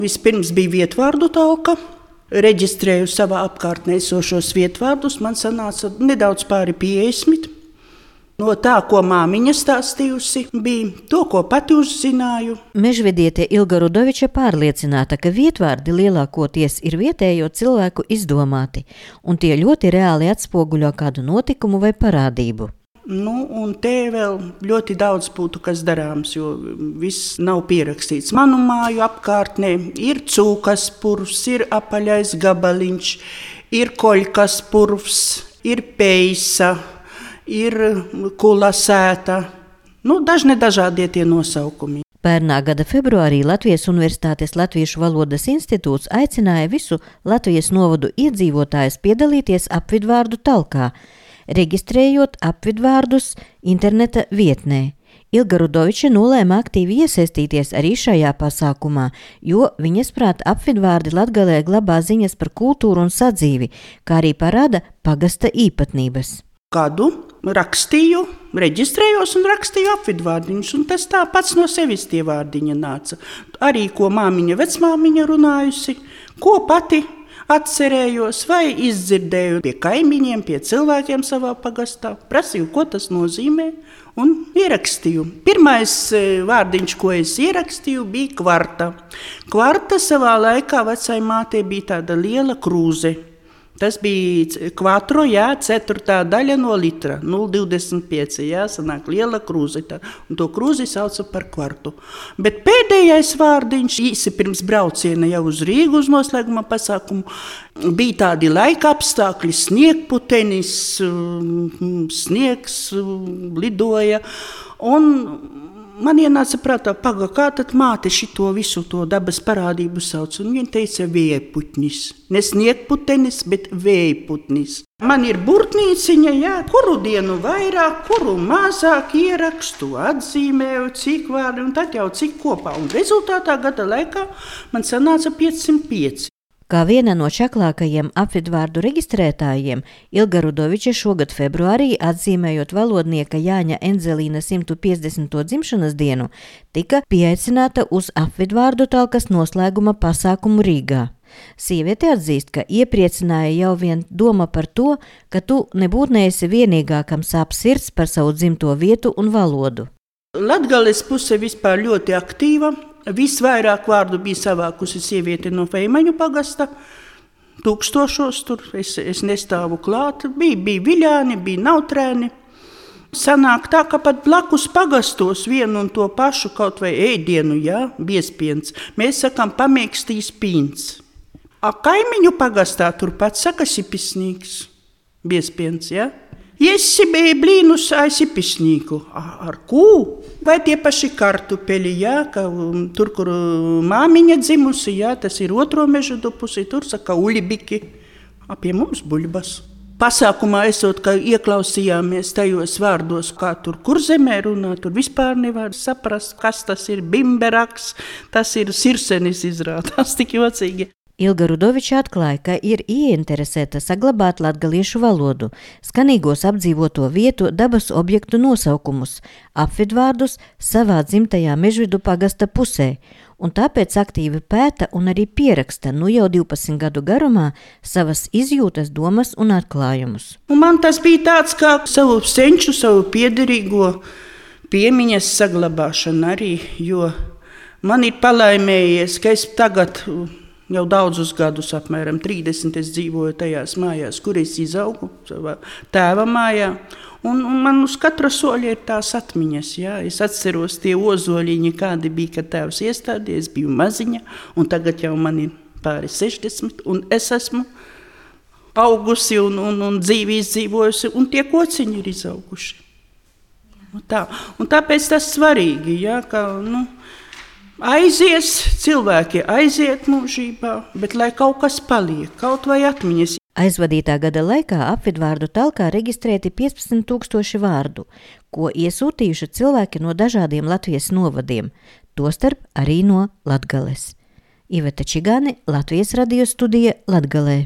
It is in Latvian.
Vispirms bija vietvārdu talka. Reģistrēju savā apkārtnē esošos vietvārdus. Man sanāca nedaudz pāri 50. No tā, ko māmiņa stāstījusi, bija to, ko pati uzzināju. Mežvediete Ilga Rudoviča pārliecināta, ka vietvārdi lielākoties ir vietējo cilvēku izdomāti, un tie ļoti reāli atspoguļo kādu notikumu vai parādību. Un te vēl ļoti daudz būtu kas darāms, jo viss nav pierakstīts. Manu māju apkārtnē ir cūkas purvs, ir apaļais gabaliņš, ir koļkas purvs, ir peisa, ir kula sēta, dažādie tie nosaukumi. Pērnā gada februārī Latvijas Universitātes Latviešu valodas institūts aicināja visu Latvijas novadu iedzīvotājus piedalīties apvidvārdu talkā, reģistrējot apvidvārdus interneta vietnē. Ilga Rudoviča nolēma aktīvi iesaistīties arī šajā pasākumā, jo viņas prāt apvidvārdi Latgalē glabā ziņas par kultūru un sadzīvi, kā arī parāda pagasta īpatnības. Kādu rakstīju, reģistrējos un rakstīju apvidvārdiņus, un tas tā pats no sevis tie vārdiņa nāca. Arī ko māmiņa, vecmāmiņa runājusi, ko pati atcerējos vai izdzirdēju pie kaimiņiem, pie cilvēkiem savā pagastā, prasīju, ko tas nozīmē, un ierakstīju. Pirmais vārdiņš, ko es ierakstīju, bija kvarta. Kvarta savā laikā vecai mātei bija tāda liela krūze. Tas bija kvatro, ceturtā daļa no litra, 0,25, sanāk liela krūze, un to krūzi sauca par kvartu. Bet pēdējais vārdiņš, īsi pirms brauciena jau uz Rīgu uz noslēguma pasākumu, bija tādi laika apstākļi, sniegputenis, sniegs lidoja, un man ienāca prātā, kā tad māte šito visu to dabas parādību sauc, un viņa teica vējputnis. Ne sniegputenis, bet vējputnis. Man ir burtnīciņa, kuru dienu vairāk, kuru mazāk ierakstu, atzīmēju, cik vārdi, un tad jau cik kopā. Un rezultātā gada laikā man sanāca 505. Kā viena no čaklākajiem apvidvārdu reģistrētājiem, Ilga Rudoviča šogad februārī, atzīmējot valodnieka Jāņa Enzelīna 150. dzimšanas dienu, tika pieaicināta uz apvidvārdu talkas noslēguma pasākumu Rīgā. Sieviete atzīst, ka iepriecināja jau vien doma par to, ka tu nebūtu neesi vienīgā, kam sāp sirds par savu dzimto vietu un valodu. Latgales puse vispār ļoti aktīva. Visvairāk vārdu bija savākusi sieviete no Feimaņu pagasta, tūkstošos tur, es nestāvu klāt, bija viļāni, bija nautrēni. Sanāk tā, ka pat blakus pagastos vienu un to pašu kaut vai ēdienu, biespiens, mēs sakām pamēkstīs pīns. Kaimiņu pagastā turpat saka sipisnīgs, biespiens, Jesi bija blīnus sipisnīgu. Ar kū? Vai tie paši kartupeļi, ka tur, kur māmiņa dzimusi, tas ir otro mežudu pusi, tur saka uļibiki, pie mums buļbas. Pasākumā esot, ka ieklausījāmies tajos vārdos, kā tur Kurzemē runā, tur vispār nevar saprast, kas tas ir bimberaks, tas ir sirsenis izrādās, tik jocīgi. Ilga Rudoviča atklāja, ka ir ieinteresēta saglabāt latgaliešu valodu, skanīgos apdzīvoto vietu, dabas objektu nosaukumus, apvidvārdus savā dzimtajā Mežvidu pagasta pusē, un tāpēc aktīvi pēta un arī pieraksta jau 12 gadu garumā savas izjūtas, domas un atklājumus. Man tas bija tāds kā savu senču, savu piederīgo piemiņas saglabāšana arī, jo man ir palaimējies, ka es tagad jau daudzus gadus, apmēram 30, es dzīvoju tajās mājās, kur es izaugu, savā tēva mājā. Un man uz katra soļa ir tās atmiņas. Es atceros tie ozoļiņi, kādi bija, kad tēvs iestādīja, es biju maziņa, un tagad jau man ir pāri 60, un es esmu augusi un dzīvi izdzīvojusi, un tie kociņi ir izauguši. Un tāpēc tas svarīgi, ka, aizies, cilvēki aiziet mūžībā, bet lai kaut kas paliek, kaut vai atmiņas. Aizvadītā gada laikā apvidvārdu talkā reģistrēti 15,000 vārdu, ko iesūtījuši cilvēki no dažādiem Latvijas novadiem, tostarp arī no Latgales. Iveta Čigāne, Latvijas radio studija Latgalē.